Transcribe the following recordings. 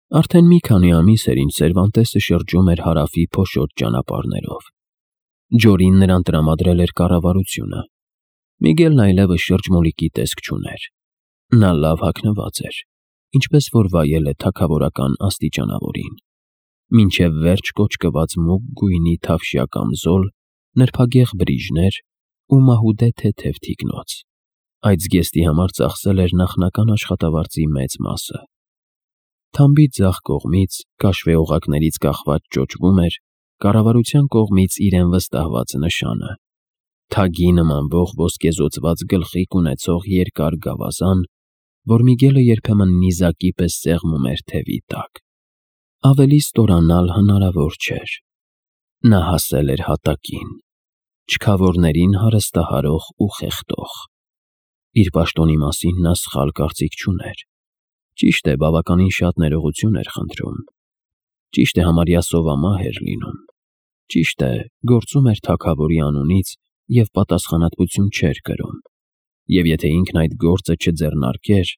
Արդեն մի քանի ամիս էր, ինչ Սերվանտեսը շրջում էր հարավի փոշոտ ճանապարհներով։ Ջորին նրան տրամադրել էր կառավարությունը։ Միգելն այլևս շրջմոլիկի տեսք չուներ։ Նա լավ հագնված էր, ինչպես որ վայել է թագավորական աստիճանավորին։ Մինչև վերջ կոճկված մուգ գույնի թավշյա կամզոլ, նրբագեղ բրիժներ ու մահուդե թեթև թիկնոց։ Այդ զգեստի համար ծախսել էր նախնական աշխատավարձի մեծ մասը։ Թամբի ձախ կողմից, քաշվե օղակներից կախված ճոճվում էր կառավարության կողմից իրեն վստահված նշանը՝ թագի նմանվող ոսկեզօծված գլխիկ ունեցող երկար գավազան, որ Միգելը երբեմն նիզակի պես սեղմում էր թևի տակ։ Ավելի ստորանալ հնարավոր չէր։ Նա հասել էր հատակին, չքավորներին հարստահարող ու խեղդող։ Իր պաշտոնի մասին նա սխալ կարծիք չուներ։ Ճիշտ է, բավականին շատ ներողություն էր խնդրում։ Ճիշտ է, համարյա սովամահ էր լինում։ Ճիշտ է, գործում էր թագավորի անունից և պատասխանատվություն չէր կրում։ Եվ եթե ինքն այդ գործը չձեռնարկեր,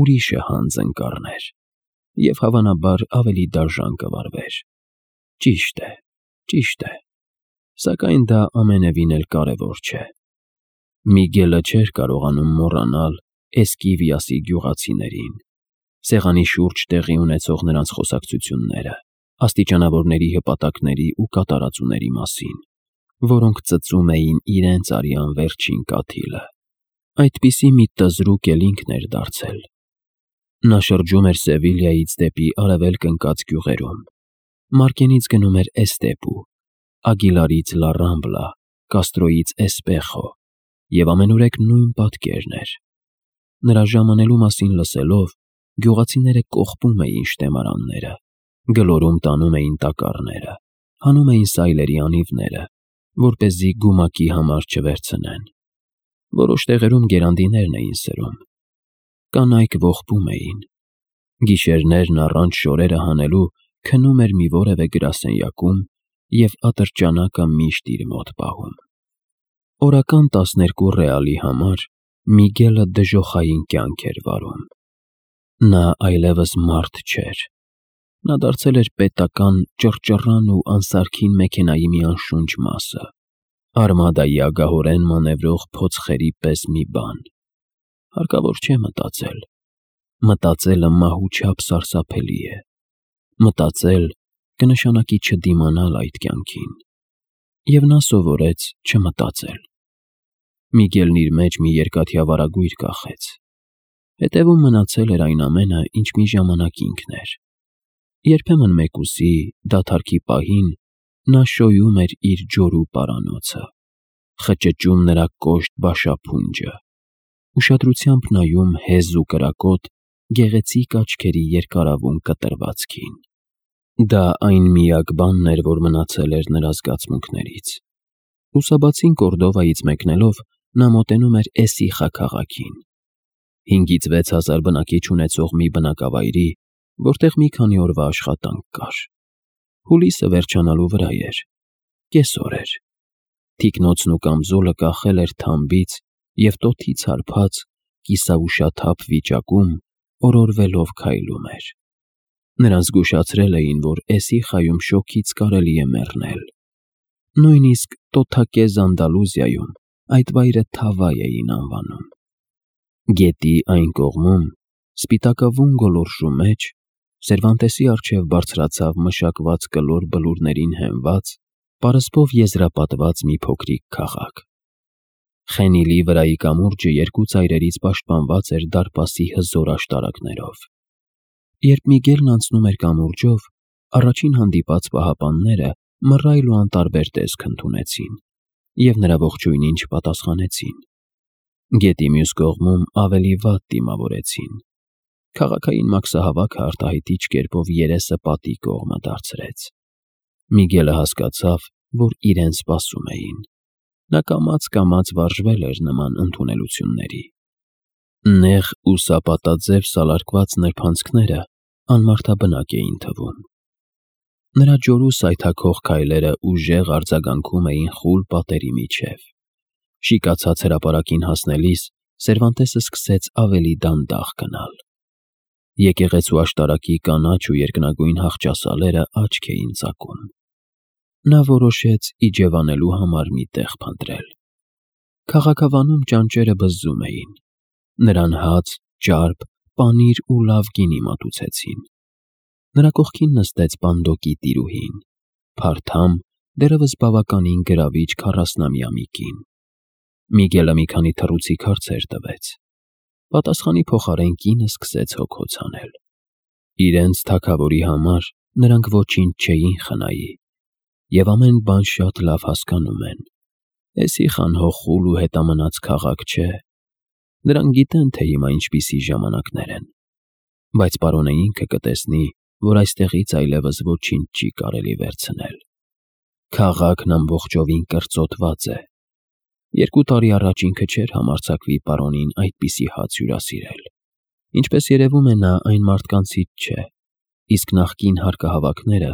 ուրիշը հանձն կառներ և հավանաբար ավելի դաժան կվարվեր։ Ճիշտ է, սակայն դա ամենևին էլ կարևոր չէ։ Միգելը չէր կարողանում մոռանալ Էսկիվիասի գյուղացիներին, սեղանի շուրջ տեղի ունեցող նրանց խոսակցությունները, աստիճանավորների հպատակների ու կատարածուների մասին, որոնք ծծում էին իրենց արյան վերջին կաթիլը։ Այդպիսի մի տզրուկ էլ ինքն էր դարձել։ Նա շրջում էր Սևիլիայից դեպի արևելք ընկած գյուղերում, Մարկենից գնում էր Էստեպու, Ագիլարից Լա Ռամբլա, Կաստրոյից Էսպեխո, և ամենուրեք նույն պատկերն էր։ Նրա ժամանելու մասին լսելով, գյուղացիները կողպում էին շտեմարանները, գլորում տանում էին տակառները, հանում էին սայլերի անիվները, որպեսզի գումակի համար չվերցնեն։ Որոշ տեղերում գերանդիներն էին սրում։ Կանայք ողբում էին։ Գիշերներն առանց շորերը հանելու քնում էր մի որևէ գրասենյակում և ատրճանակը միշտ իր մոտ պահում։ Օրական 12 ռեալի համար Միգելը դժոխային կյանք էր վարում։ Նա այլևս մարդ չէր։ Նա դարձել էր պետական ճռճռան ու անսարքին մեքենայի մի անշունչ մասը, արմադայի ագահորեն մանևրող փոცხերի պես մի բան։ Հարկավոր չէ մտածել։ Մտածելը մահու չափ սարսափելի է։ Մտածել կնշանակի չդիմանալ այդ կյանքին։ Եվ նա սովորեց չմտածել։ Միգելն իր մեջ մի երկաթյա վարագույր կախեց։ Հետևում մնացել էր այն ամենը, ինչ մի ժամանակ ինքն էր։ Երբեմն մեկուսի, դադարքի պահին նա շոյում էր իր ջորու պարանոցը, խճճում նրա կոշտ բաշափունջը, ուշադրությամբ նայում հեզ ու կրակոտ գեղեցիկ աչքերի երկարավուն կտրվածքին։ Դա այն միակ բանն էր, որ մնացել էր նրա զգացմունքներից։ Լուսաբացին Կորդովայից մեկնելով նա մոտենում էր Էսիխա քաղաքին, 5-ից 6 հազար բնակիչ ունեցող մի բնակավայրի, որտեղ մի քանի օրվա աշխատանք կար։ Հուլիսը վերջանալու վրա էր։ Կեսօր էր։ Թիկնոցն ու կամզոլը կախել էր թամբից և տոթից հարբած, կիսաուշաթափ վիճակում օրորվելով քայլում էր։ Նրան զգուշացրել էին, որ Էսիխայում շոգից կարելի է մեռնել։ Նույնիսկ տոթակե Զանդալուզիայում այդ վայրը Թավայ էին անվանում։ Գետի այն կողմում, սպիտակավուն գոլորշու մեջ, Սերվանտեսի առջև բարձրացավ մշակված կլոր բլուրներին հենված, պարսպով եզրապատված մի փոքրիկ քաղաք։ Խենիլի վրայի կամուրջը երկու ծայրերից պաշտպանված էր դարպասի հզոր աշտարակներով։ Երբ Միգելն անցնում էր կամուրջով, առաջին հանդիպած պահապանները մռայլ ու անտարբեր տեսք ընդունեցին և նրա ողջույնին չպատասխանեցին։ Գետի մյուս կողմում ավելի վատ դիմավորեցին։ Քաղաքային մաքսահավաքը արտահայտիչ կերպով երեսը պատի կողմը դարձրեց։ Միգելը հասկացավ, որ իրեն սպասում էին։ Նա կամաց վարժվել էր նման ընդունելությունների։ Նեղ ու սապատաձև սալարկված նրբանցքները անմարդաբնակ էին թվում։ Նրա ջորու սայթաքող քայլերը ուժեղ արձագանքում էին խուլ պատերի միջև։ Շիկացած հրապարակին հասնելիս Սերվանտեսը սկսեց ավելի դանդաղ գնալ։ Եկեղեցու աշտարակի կանաչ ու երկնագույն հախճասալերը աչք էին ծակում։ Նա որոշեց իջևանելու համար մի տեղ փնտրել։ Քաղաքավանում ճանճերը բզզում էին։ Նրան հաց, ճարպ, պանիր ու լավ գինի մատուցեցին։ Նրա կողքին նստեց պանդոկի տիրուհին, փարթամ, դեռևս բավականին գրավիչ 40-ամյա մի կին։ Միգելը մի քանի թռուցիկ հարցեր տվեց։ Պատասխանի փոխարեն կինը սկսեց հոգոց հանել։ Իրենց թագավորի համար նրանք ոչինչ չէին խնայի, և ամեն բան շատ լավ հասկանում են։ Էսիխան հոխուլ ու հետամնաց քաղաք չէ։ Նրանք գիտեն, թե հիմա ինչպիսի ժամանակներ են, բայց պարոնը ինքը կտեսնի, որ այստեղից այլևս ոչինչ չի կարելի վերցնել։ Քաղաքն ամբողջովին կրծոտված է։ 2 տարի առաջ ինքը չէր համարձակվի պարոնին այդպիսի հաց հյուրասիրել։ Ինչպես երևում է, նա այն մարդկանցից չէ, իսկ նախկին հարկահավաքները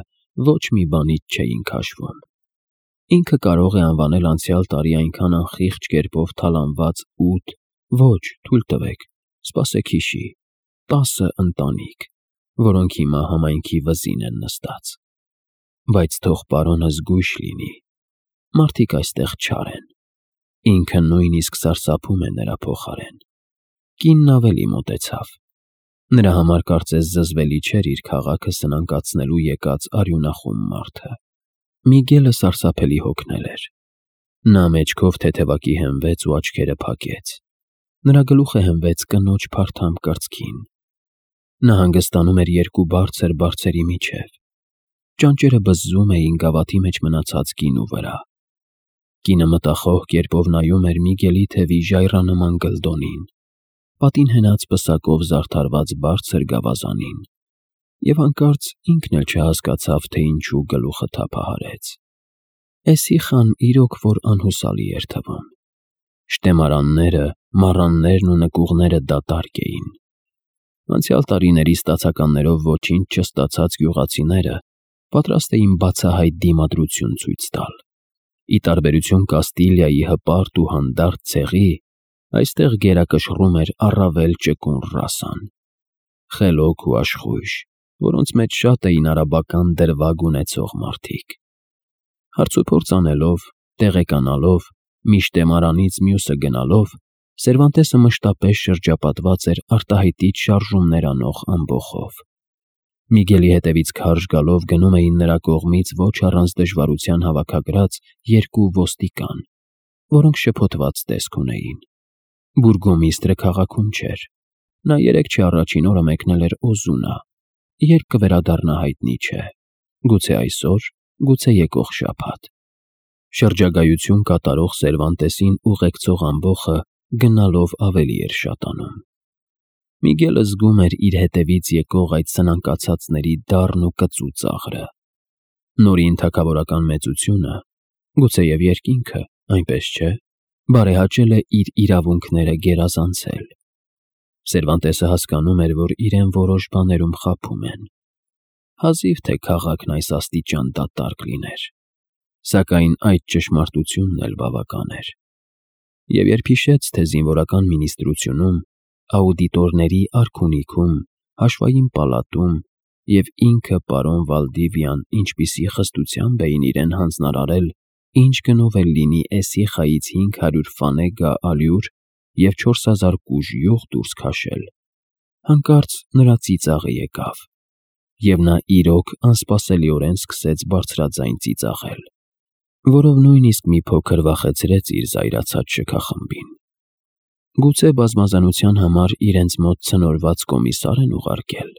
ոչ մի բանից չէին քաշվում։ Ինքը կարող է անվանել անցյալ տարի այնքան անխիղճ կերպով թալանված 8, ոչ, թույլ տվեք, սպասեք հիշի, 10 ընտանիք, որոնք հիմա համայնքի վզին են նստած։ Բայց թող պարոնը զգույշ լինի, մարդիկ այստեղ չար են։ Ինքը նույնիսկ սարսափում է նրա փոխարեն։ Կինն ավելի մոտեցավ։ Նրա համար կարծես զզվելի չէր իր քաղաքը սնանկացնելու եկած արյունախում մարդը։ Միգելը սարսափելի հոգնել էր։ Նա մեջքով թեթևակի հենվեց ու աչքերը փակեց։ Նրա գլուխը հենվեց կնոջ փարթամ կրծքին։ Նա հանգստանում էր 2 բարձր բարձերի միջև։ Ճանճերը բզզում էին գավաթի մեջ մնացած գինու վրա։ Կինը մտախոհ կերպով նայում էր Միգելի թևի ժայռանման գլդոնին, պատին հենած պսակով զարդարված բարձր գավազանին, և հանկարծ ինքն էլ չհասկացավ, թե ինչու գլուխը թափահարեց։ Էսիխան իրոք որ անհուսալի էր թվում։ Շտեմարանները, մառաններն ու նկուղները դատարկ էին։ Անցյալ տարիների ստացականներով ոչինչ չստացած գյուղացիները պատրաստ էին բացահայտ դիմադրություն ցույց տալ։ Ի տարբերություն Կաստիլիայի հպարտ ու հանդարտ ցեղի, այստեղ գերակշռում էր առավել ճկուն ռասան։ Խելոք ու աշխույժ, որոնց մեջ շատ էին արաբական դրվագ ունեցող մարդիկ։ Հարցուփորձ անելով, տեղեկանալով, մի շտեմարանից մյուսը գնալով, Սերվանտեսը մշտապես շրջապատված էր արտահայտիչ շարժումներ անող ամբոխով։ Միգելի հետևից քարշ գալով գնում էին նրա կողմից ոչ առանց դժվարության հավաքագրած 2 ոստիկան, որոնք շփոթված տեսք ունեին։ Բուրգոմիստրը քաղաքում չէր։ Նա 3 չի առաջին օրը մեկնել էր Օզունա, երբ կվերադառնա հայտնի չէ։ Գուցե այսօր, գուցե եկող շաբաթ։ Շրջագայություն կատարող Սերվանտեսին ուղեկցող ամբոխը գնալով ավելի էր շատանում։ Միգելը զգում էր իր հետևից եկող այդ սնանկացածների դառն ու կծու ծաղրը։ Նորին թագավորական մեծությունը, գուցեև երկինքը, այնպես չէ, բարեհաճել է իր իրավունքները գերազանցել։ Սերվանտեսը հասկանում էր, որ իրեն որոշ բաներում խաբում են։ Հազիվ թե քաղաքն այս աստիճան դատարկ լիներ, սակայն այդ ճշմարտությունն էլ բավական էր։ Եվ երբ հիշեց, թե զինվորական մինիստրությունում, աուդիտորների արքունիքում, հաշվային պալատում և ինքը պարոն Վալդիվյան ինչպիսի խստությամբ էին իրեն հանձնարարել, ինչ գնով էլ լինի Էսիխայից 500 ֆանեգա ալյուր և 4000 կուժ յուղ դուրս քաշել, հանկարծ նրա ծիծաղը եկավ, և նա իրոք անսպասելիորեն սկսեց բարձրաձայն ծիծաղել, որով նույնիսկ մի փոքր վախեցրեց իր զայրացած շքախմբին։ Գուցե բազմազանության համար իրենց մոտ ցնորված կոմիսար են ուղարկել։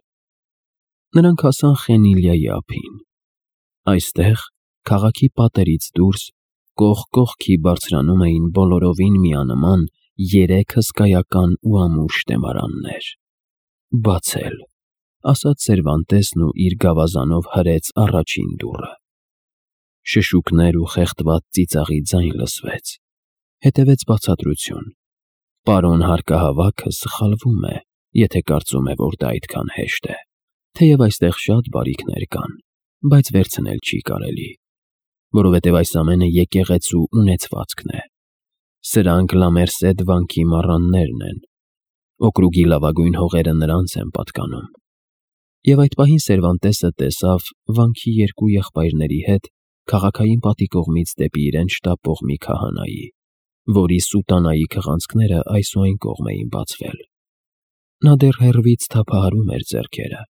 Նրանք հասան Խենիլիայի ափին։ Այստեղ, քաղաքի պատերից դուրս, կողք կողքի բարձրանում էին բոլորովին միանման 3 հսկայական ու ամուր շտեմարաններ։ «Բացել», ասաց Սերվանտեսն ու իր գավազանով հրեց առաջին դուռը։ Շշուկներ ու խեղդված ծիծաղի ձայն լսվեց։ Հետևեց բացատրություն։ Պարոն հարկահավաքը սխալվում է, եթե կարծում է, որ դա այդքան հեշտ է։ Թեև այստեղ շատ բարիքներ կան, բայց վերցնել չի կարելի, որովհետև այս ամենը եկեղեցու ունեցվածքն է։ Սրանք Լամերսեդ վանքի մառաններն են։ Օկրուգի լավագույն հողերը նրանց են պատկանում։ Եվ այդ պահին Սերվանտեսը տեսավ վանքի երկու եղբայրների հետ քաղաքային պատի կողմից դեպի իրեն շտապող մի քահանայի, որի սուտանայի քղանցքները այս ու այն կողմ էին բացվել։ Նա դեռ հեռվից թափահարում էր ձեռքերը։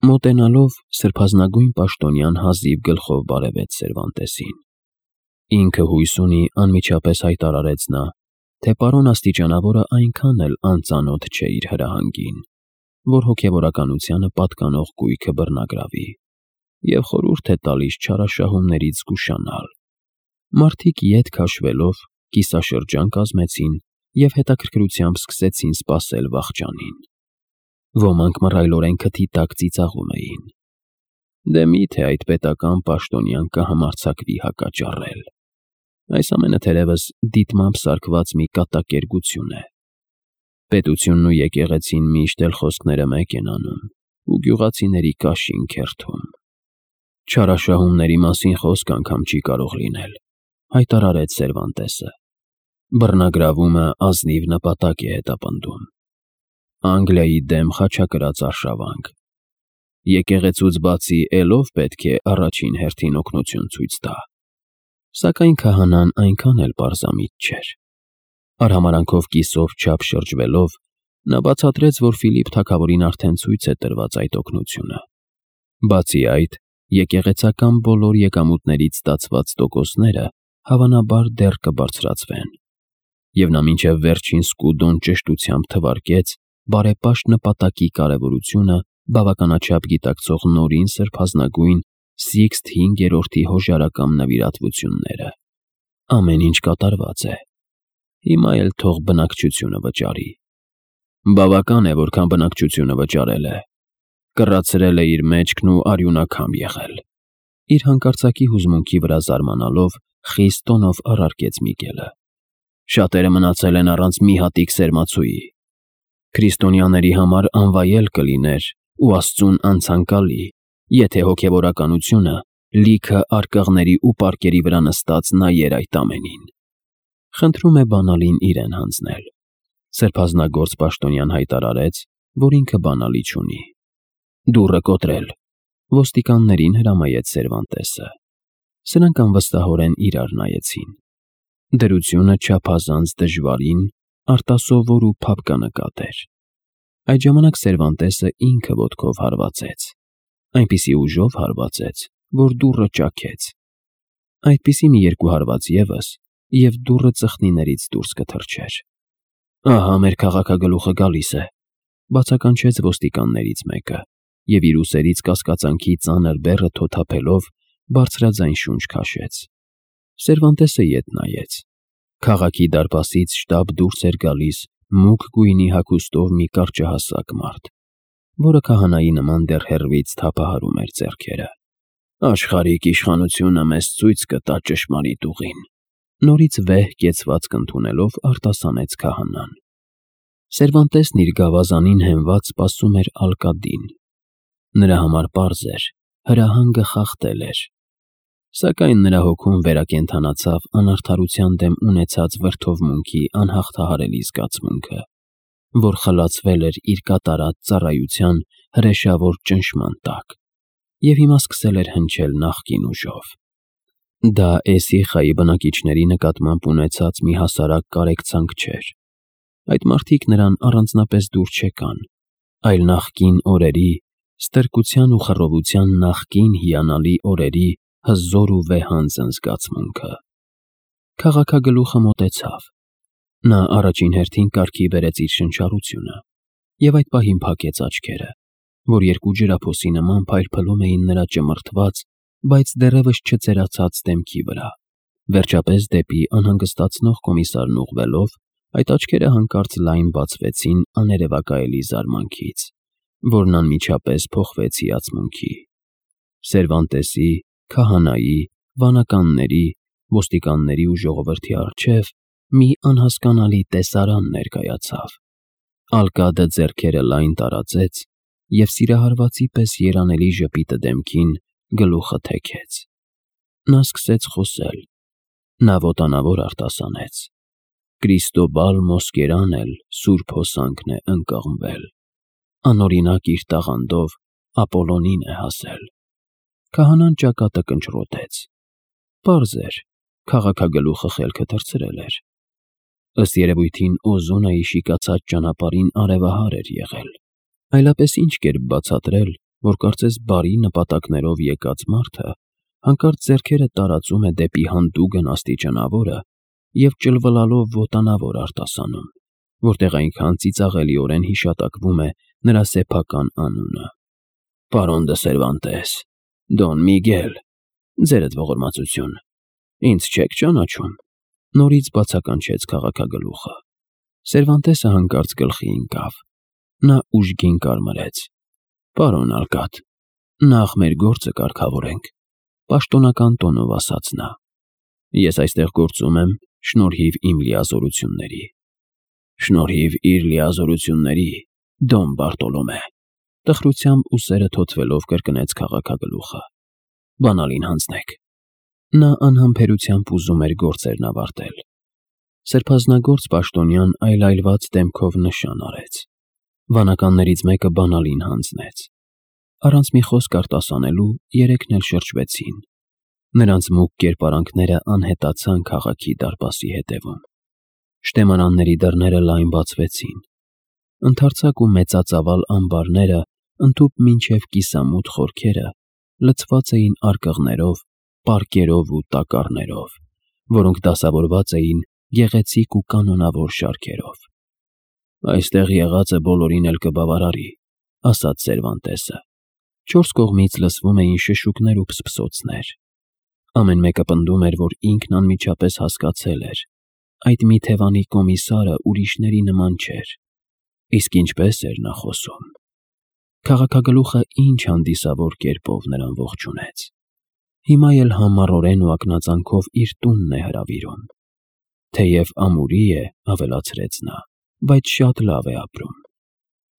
Մոտենալով սրբազնագույն պաշտոնյան հազիվ գլխով բարևեց Սերվանտեսին։ Ինքը հույս ունի, անմիջապես հայտարարեց նա, թե պարոն աստիճանավորը այնքան էլ անծանոթ չէ իր հրահանգին, որ հոգևորականությանը պատկանող գույքը բռնագրավի, և խորհուրդ է տալիս չարաշահումներից զգուշանալ։ Մարդիկ ետ քաշվելով կիսաշրջան կազմեցին և հետաքրքրությամբ սկսեցին սպասել վախճանին։ Ոմանք մռայլորեն քթի տակ ծիծաղում էին։ Դե մի՞թե այդ պետական պաշտոնյան կհամարձակվի հակաճառել։ Այս ամենը թերևս դիտմամբ սարքված մի կատակերգություն է։ Պետությունն ու եկեղեցին միշտ էլ խոսքները մեկ են անում ու գյուղացիների կաշին քերթում։ Չարաշահումների մասին խոսք անգամ չի կարող լինել, հայտարարեց Սերվանտեսը։ Բռնագրավումը ազնիվ նպատակ է հետապնդում։ Անգլիայի դեմ խաչակրաց արշավանք։ Եկեղեցուց բացի ելով պետք է առաջին հերթին օգնություն ցույց տա։ Սակայն քահանան այնքան էլ պարզամիտ չէր։ Արհամարանքով կիսով չափ շրջվելով, նա բացատրեց, որ Ֆիլիպ թագավորին արդեն ցույց է տրված այդ օգնությունը։ Բացի այդ, եկեղեցական բոլոր եկամուտներից ստացված տոկոսները հավանաբար դեռ կբարձրացվեն։ Եվ նա մինչև վերջին սկուդոն ճշտությամբ թվարկեց բարեպաշտ նպատակի կարևորությունը բավականաչափ գիտակցող նորին սրբազնագույն Սիքսթ հինգերորդի հոժարակամ նվիրատվությունները։ Ամեն ինչ կատարված է։ Հիմա էլ թող բնակչությունը վճարի։ Բավական է, որքան բնակչությունը վճարել է։ Կռացրել է իր մեջքն ու արյունակամ եղել։ Իր հանկարծակի հուզմունքի վրա զարմանալով խիստ տոնով առարկեց Միգելը։ Շատերը մնացել են առանց մի հատիկ սերմացուի։ Քրիստոնյաների համար անվայել կլիներ ու Աստծուն անցանկալի, եթե հոգևորականությունը լիքը արկղների ու պարկերի վրա նստած նայեր այդ ամենին։ Խնդրում է բանալին իրեն հանձնել։ Սրբազնագործ պաշտոնյան հայտարարեց, որ ինքը բանալի չունի։ Դուռը կոտրել, ոստիկաններին հրամայեց Սերվանտեսը։ Սրանք անվստահորեն իրար նայեցին։ Դրությունը չափազանց դժվարին, արտասովոր ու փափկանկատ էր։ Այդ ժամանակ Սերվանտեսը ինքը ոտքով հարվածեց, այնպիսի ուժով հարվածեց, որ դուռը ճաքեց։ Այդպիսի մի երկու հարված ևս, և դուռը ծխնիներից դուրս կթռչեր։ Ահա մեր քաղաքագլուխը գալիս է, բացականչեց ոստիկաններից մեկը, և իր ուսերից կասկածանքի ծանր բեռը թոթափելով բարձրաձայն շունչ քաշեց։ Սերվանտեսը ետ նայեց։ Քաղաքի դարպասից շտապ դուրս էր գալիս մուգ գույնի հագուստով մի կարճահասակ մարդ, որը քահանայի նման դեռ հեռվից թափահարում էր ձեռքերը։ Աշխարհիկ իշխանությունը մեզ ցույց կտա ճշմարիտ ուղին, նորից վեհ կեցվածք ընդունելով արտասանեց քահանան։ Սերվանտեսն իր գավազանին հենված սպասում էր ալկադին։ Նրա համար պարզ էր, հրահանգը խախտել էր։ Սակայն նրա հոգում վերակենդանացավ անարդարության դեմ ունեցած վրդովմունքի անհաղթահարելի զգացմունքը, որ խլացվել էր իր կատարած ծառայության հրեշավոր ճնշման տակ, և հիմա սկսել էր հնչել նախկին ուժով։ Դա Էսիխայի բնակիչների նկատմամբ ունեցած մի հասարակ կարեկցանք չէր։ Այդ մարդիկ նրան առանձնապես դուր չեկան, այլ նախկին օրերի, ստրկության ու խռովության նախկին հիանալի օրերի հզոր ու վեհանձն զգացմունքը։ Քաղաքագլուխը մոտեցավ։ Նա առաջին հերթին կարգի բերեց իր շնչառությունը և այդ պահին փակեց աչքերը, որ երկու ջրափոսի նման փայլփլում էին նրա ճմրթված, բայց դեռևս չծերացած դեմքի վրա։ Վերջապես դեպի անհանգստացնող կոմիսարն ուղղվելով, այդ աչքերը հանկարծ լայն բացվեցին աներևակայելի զարմանքից, որն անմիջապես փոխվեց հիացմունքի։ Սերվանտեսի, քահանայի, վանականների, ոստիկանների ու ժողովրդի առջև մի անհասկանալի տեսարան ներկայացավ։ Ալկադը ձեռքերը լայն տարածեց և սիրահարվածի պես երանելի ժպիտը դեմքին գլուխը թեքեց։ Նա սկսեց խոսել։ Նա ոտանավոր արտասանեց. Կրիստոբալ Մոսկերան էլ սուրբ հոսանքն է ընկղմվել, անօրինակ իր տաղանդով Ապոլոնին է հասել։ Քահանան ճակատը կնճռոտեց։ Պարզ էր, քաղաքագլուխը խելքը թռցրել էր։ Ըստ երևույթին Օզունայի շիկացած ճանապարհին արևահար էր եղել, այլապես ինչ կերպ բացատրել, որ կարծես բարի նպատակներով եկած մարդը հանկարծ ձեռքերը տարածում է դեպի հանդուգն աստիճանավորը և ճլվլալով ոտանավոր արտասանում, որտեղ այնքան ծիծաղելիորեն հիշատակվում է նրա սեփական անունը։ «Պարոն դը Սերվանտես, Դոն Միգել, ձերդ ողորմածություն, ինձ չեք ճանաչում», նորից բացականչեց քաղաքագլուխը։ Սերվանտեսը հանկարծ գլխի ընկավ։ Նա ուժգին կարմրեց։ «Պարոն Ալկատ, նախ մեր գործը կարգավորենք», պաշտոնական տոնով ասաց նա։ «Ես այստեղ գործում եմ շնորհիվ իմ լիազորությունների»։ «Շնորհիվ իր լիազորությունների, Դոն Բարտոլոմե», տխրությամբ ուսերը թոթվելով կրկնեց քաղաքագլուխը։ «Բանալին հանձնեք»։ Նա անհամբերությամբ ուզում էր գործերն ավարտել։ Սրբազնագործ պաշտոնյան այլայլված դեմքով նշան արեց։ Վանականներից մեկը բանալին հանձնեց։ Առանց մի խոսք արտասանելու երեքն էլ շրջվեցին։ Նրանց մուգ կերպարանքները անհետացան քաղաքի դարպասի հետևում։ Շտեմարանների դռները լայն բացվեցին։ Ընդարձակ ու մեծածավալ ամբարները ընդհուպ մինչև կիսամութ խորքերը լցված էին արկղներով, պարկերով ու տակառներով, որոնք դասավորված էին գեղեցիկ ու կանոնավոր շարքերով։ «Այստեղ եղածը բոլորին էլ կբավարարի», ասաց Սերվանտեսը։ Չորս կողմից լսվում էին շշուկներ ու փսփսոցներ։ Ամեն մեկը պնդում էր, որ ինքն անմիջապես հասկացել էր. այդ մի թևանի կոմիսարը ուրիշների նման չէր։ Իսկ ինչպես էր նա խոսում։ Քաղաքագլուխը ինչ հանդիսավոր կերպով նրան ողջունեց։ Հիմա էլ համառորեն ու ակնածանքով իր տունն է հրավիրում։ Թեև ամուրի է, ավելացրեց նա, բայց շատ լավ է ապրում։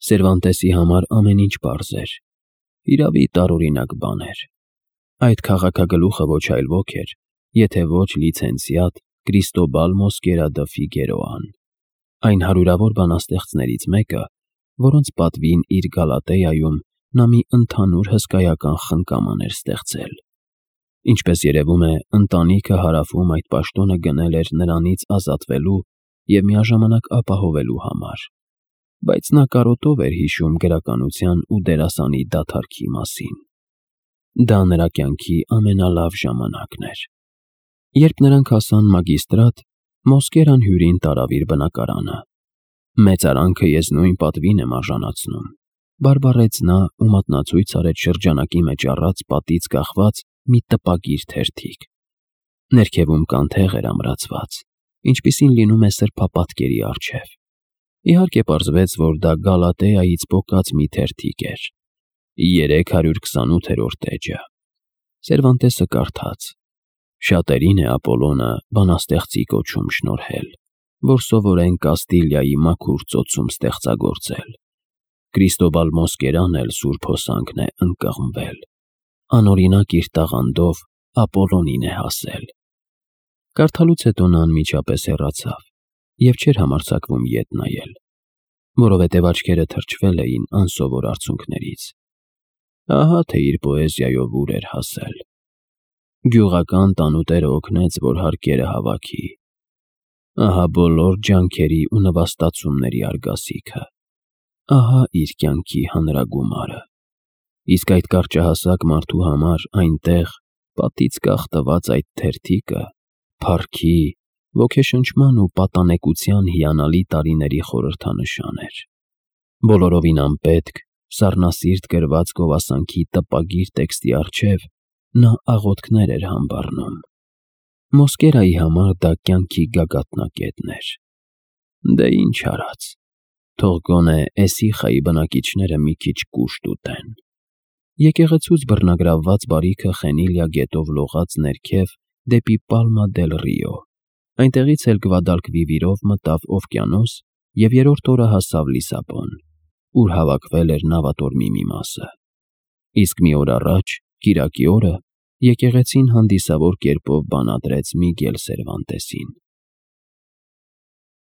Սերվանտեսի համար ամեն ինչ պարզ էր։ Իրավի տարօրինակ բան էր։ Այդ քաղաքագլուխը ոչ այլ ոք էր, եթե ոչ լիցենզիատ Կրիստոբալ Մոսկերա դը Ֆիգերոան, այն հարյուրավոր բանաստեղծներից մեկը, որոնց պատվին իր Գալատեայում նա մի ընդհանուր հսկայական խնկաման էր ստեղծել։ Ինչպես երևում է, ընտանիքը Հարավում այդ պաշտոնը գնել էր նրանից ազատվելու և միաժամանակ ապահովելու համար, բայց նա կարոտով էր հիշում գրականության ու դերասանի դադարքի մասին։ Դա նրա կյանքի ամենալավ ժամանակն էր։ Երբ նրանք հասան մագիստրատ, Մոսկերան հյուրին տարավ իր բնակարանը։ «Մեծարանքը ես նույն պատվին եմ արժանացնում», բարբառեց նա ու մատնացույց արեց շրջանակի մեջ առած պատից կախված մի տպագիր թերթիկ։ Ներքևում կանթեղ էր ամրացված, ինչպիսին լինում է սրբապատկերի առջև։ Իհարկե պարզվեց, որ դա Գալատեայից պոկած մի թերթիկ էր։ 328-րդ էջը։ Սերվանտեսը կարդաց. «Շատերին է Ապոլոնը բանաստեղծի կոչում շնորհել, որ սովորեն Կաստիլիայի մաքուր ծոցում ստեղծագործել։ Կրիստոբալ Մոսկերան էլ սուրբ հոսանքն է ընկղմվել, անօրինակ իր տաղանդով Ապոլոնին է հասել»։ Կարդալուց հետո նա անմիջապես հեռացավ և չէր համարձակվում ետ նայել, որովհետև աչքերը թրջվել էին անսովոր արցունքներից։ Ահա թե իր պոեզիայով ուր էր հասել։ Գյուղական տանուտերը օգնեց, որ հարկերը հավաքի։ Ահա բոլոր ջանքերի ու նվաստացումների արգասիքը։ Ահա իր կյանքի հանրագումարը։ Իսկ այդ կարճահասակ մարդու համար այնտեղ, պատից կախ տված այդ թերթիկը, փառքի, ոգեշնչման ու պատանեկության հիանալի տարիների խորհրդանշան էր։ Բոլորովին անպետք, սառնասիրտ գրված գովասանքի տպագիր տեքստի առջև նա աղոթքներ էր համբառնում։ Մոսկերայի համար դա կյանքի գագաթնակետն էր։ Դե ինչ արած, թող գոնե Էսիխայի բնակիչները մի քիչ կուշտ ուտեն։ Եկեղեցուց բռնագրավված բարիքը Խենիլիա գետով լողաց ներքև դեպի Պալմա դել Ռիո, այնտեղից էլ Գվադալկվիվիրով մտավ օվկիանոս և երրորդ օրը հասավ Լիսաբոն, ուր հավաքվել էր նավատորմի մի մասը։ Իսկ մի օր առաջ, կիրակի օրը, եկեղեցին հանդիսավոր կերպով բանադրեց Միգել Սերվանտեսին։